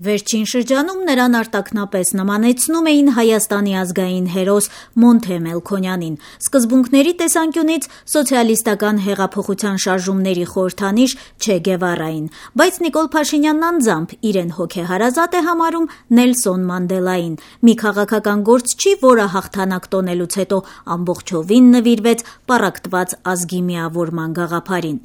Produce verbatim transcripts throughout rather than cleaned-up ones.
Վերջին շրջանում նրան արտաքնապես նմանեցնում էին Հայաստանի ազգային հերոս Մոնթե Մելքոնյանին, սկզբունքների տեսանկյունից սոցիալիստական հեղափոխության շարժումների խորհրդանիշ Չէ Գևարային, բայց Նիկոլ Փաշինյանն անձամբ իրեն հոգեհարազատ է համարում Նելսոն Մանդելային, մի քաղաքական գործչի, որը հաղթանակ տոնելուց հետո ամբողջովին նվիրվեց պառակտված ազգի միավորման գաղափարին։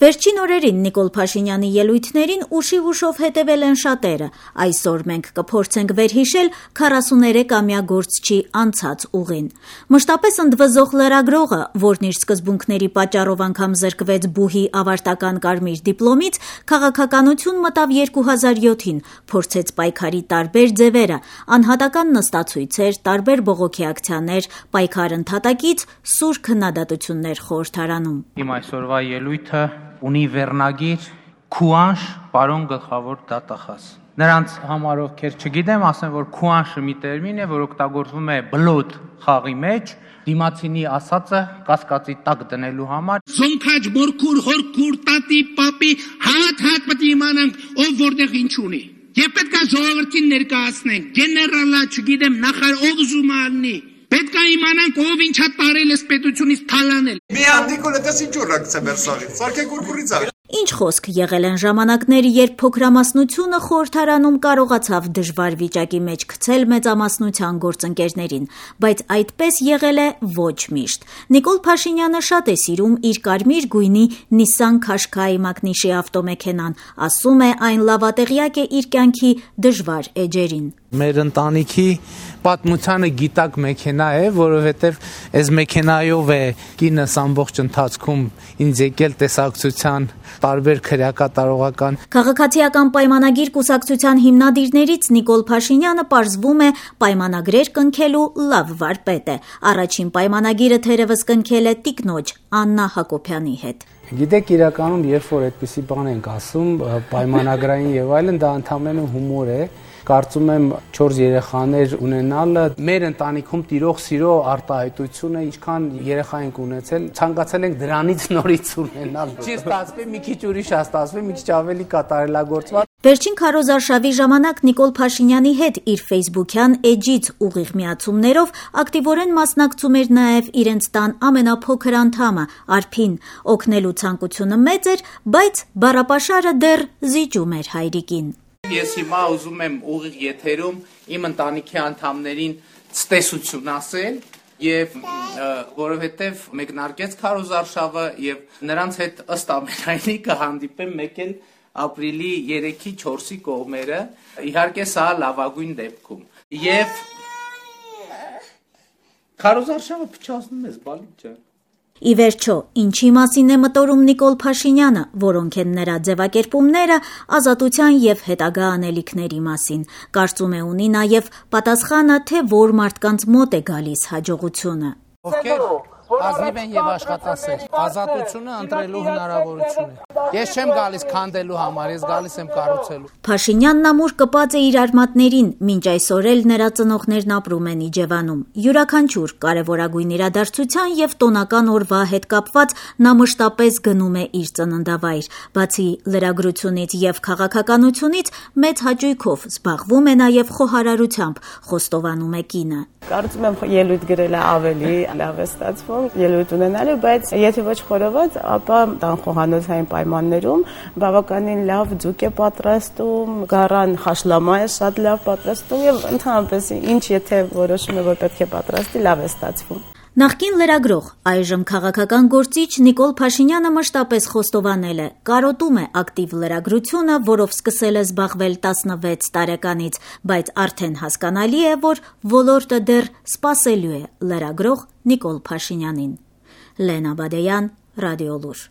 Վերջին օրերին Նիկոլ Փաշինյանի ելույթներին ուշիվ-ուշով հետևել են շատերը։ Այսօր մենք կփորձենք վերհիշել քառասուներեքամյա գործչի անցած ուղին։ Մշտապես ընդվզող լրագրողը, որն իր սկզբունքների պատճառով անգամ զրկվեց բուհի ավարտական կարմիր դիպլոմից, քաղաքականություն մտավ երկու հազար յոթին, փորձեց պայքարի տարբեր ձևերը, անհատական նստացույցեր, տարբեր բողոքի ակցիաներ, պայքար ընդհատակից սուր քննադատություններ խորհրդարանում։ Իմ այսօրվա ելույթը ունի վերնագիր Քուանշ, պարոն գլխավոր դատախազ։ Նրանց համար ովքեր չգիտեմ, ասեմ, որ քուանշը մի տերմին է, որ օգտագործվում է բլոտ խաղի մեջ, դիմացինի ասածը կասկածի տակ դնելու համար։ Զոնքաչ բորքուր հորքուր տատի պապի հատ հատ պետք է իմանանք ով որտեղ ինչ ունի։ Եվ պետք է ժողովրդին ներկայացնենք, գեներալա, չգիտեմ, նախար ով ուզում ալնի։ Պետք է իմանանք ով ինչա տարել էս պետությունից թալանել։ Մի հանդիկոլ է դες ինչ օրակցե մեր սարից, սարքեք ուրկուրից ա։ Ինչ խոսք եղել են ժամանակներ, երբ փոքրամասնությունը խորհրդարանում կարողացավ դժվար վիճակի մեջ գցել մեծամասնության գործընկերներին, բայց այդպես եղել է ոչ միշտ։ Նիկոլ Փաշինյանը շատ է սիրում իր կարմիր գույնի Nissan Qashqai մակնիշի ավտոմեքենան, ասում է այն լավատեղյակ է իր կյանքի դժվար էջերին։ Մեր ընտանիքի պատմությանը գիտակ մեքենա է, որովհետև այս մեքենայով է կինս ամբողջ ընթացքում ինձ եկել տեսակցության տարբեր քրեակատարողական։ Քաղաքացիական պայմանագիր կուսակցության հիմնադիրներից Նիկոլ Փաշինյանը պարզվում է պայմանագրեր կնքելու լավ վարպետ է։ Առաջին պայմանագիրը թերևս կնքել է տիկնոջ Աննա Հակոբյանի հետ։ Գիտեք, իրականում երբ որ այդպիսի բան ենք ասում, պայմանագրային եւ այլն, դա ընդհանրապես հումոր է։ Կարծում եմ չորս երեխաներ ունենալը մեր ընտանիքում տիրող սիրո արտահայտությունը, ինչքան երեխա ենք ունեցել, ցանկացել ենք դրանից նորից ունենալ։ Չի ստացվի, մի քիչ ուրիշ է ստացվի, մի քիչ ավելի կատարելագործված։ Վերջին քարոզարշավի ժամանակ Նիկոլ Փաշինյանի հետ իր ֆեյսբուքյան էջից ուղիղ միացումներով ակտիվորեն մասնակցում էր նաև իրենց տան ամենափոքր անդամը Արփին։ Օգնելու ցանկությունը մեծ էր, բայց բառապաշարը դեռ զիջում էր հայրիկին։ Ես հիմա ուզում եմ ուղիղ եթերում իմ ընտանիքի անդամներին ցտեսություն ասել եւ որովհետեւ մեկնարկեց քարոզարշավը եւ նրանց հետ ըստ ամենայնի կհանդիպեմ մեկ էլ ապրիլի երեքի չորսի կողմերը, իհարկե սա լավագույն դեպքում։ Եվ քարոզարշավը փչացնում ես, բալի ջան։ Ի վերջո, ինչի մասին է մտորում Նիկոլ Փաշինյանը, որոնք են նրա ձևակերպումները ազատության եւ հետագա անելիքների մասին։ Կարծում է ունի նաեւ պատասխանը, թե որ մարդկանց մոտ է գալիս հաջողությունը։ Ովքեր ազնիվ են եւ աշխատասեր, ազատությունը ընտրելու հնարավորությունը։ Ես չեմ գալիս քանդելու համար, ես գալիս եմ կառուցելու։ Փաշինյանն ամուր կպած է իր արմատներին, մինչ այսօր էլ նրա ծնողներն ապրում են Իջևանում։ Յուրաքանչյուր կարևորագույն իրադարձության եւ տոնական օրվա հետ կապված նա մշտապես գնում է իր ծննդավայր։ Բացի լրագրությունից եւ քաղաքականությունից մեծ հաճույքով զբաղվում է նաեւ խոհարարությամբ, խոստովանում է կինը։ Կարծում եմ ելույթ գրելը ավելի լավ է ստացվում, ելույթ ունենալը, բայց եթե ոչ խորոված, ապա տան խոհանոցային պայմաններում բավականին լավ ձուկ է պատրաստում, գարան խաշլամա է շատ լավ պատրաստում եւ ընդհանրապես ինչ եթե որոշում է որ պետք է պատրաստի, լավ է ստացվում։ Նախկին լրագրող, այժմ քաղաքական գործիչ Նիկոլ Փաշինյանը մշտապես խոստովանել է, կարոտում է ակտիվ լրագրությունը, որով սկսել է զբաղվել տասնվեց տարեկանից, բայց արդեն հասկանալի է, որ ոլորտը դեռ սպասելու է լրագրող Նիկոլ Փաշինյանին։ Լենա Բադեյան, Ռադիոլուր։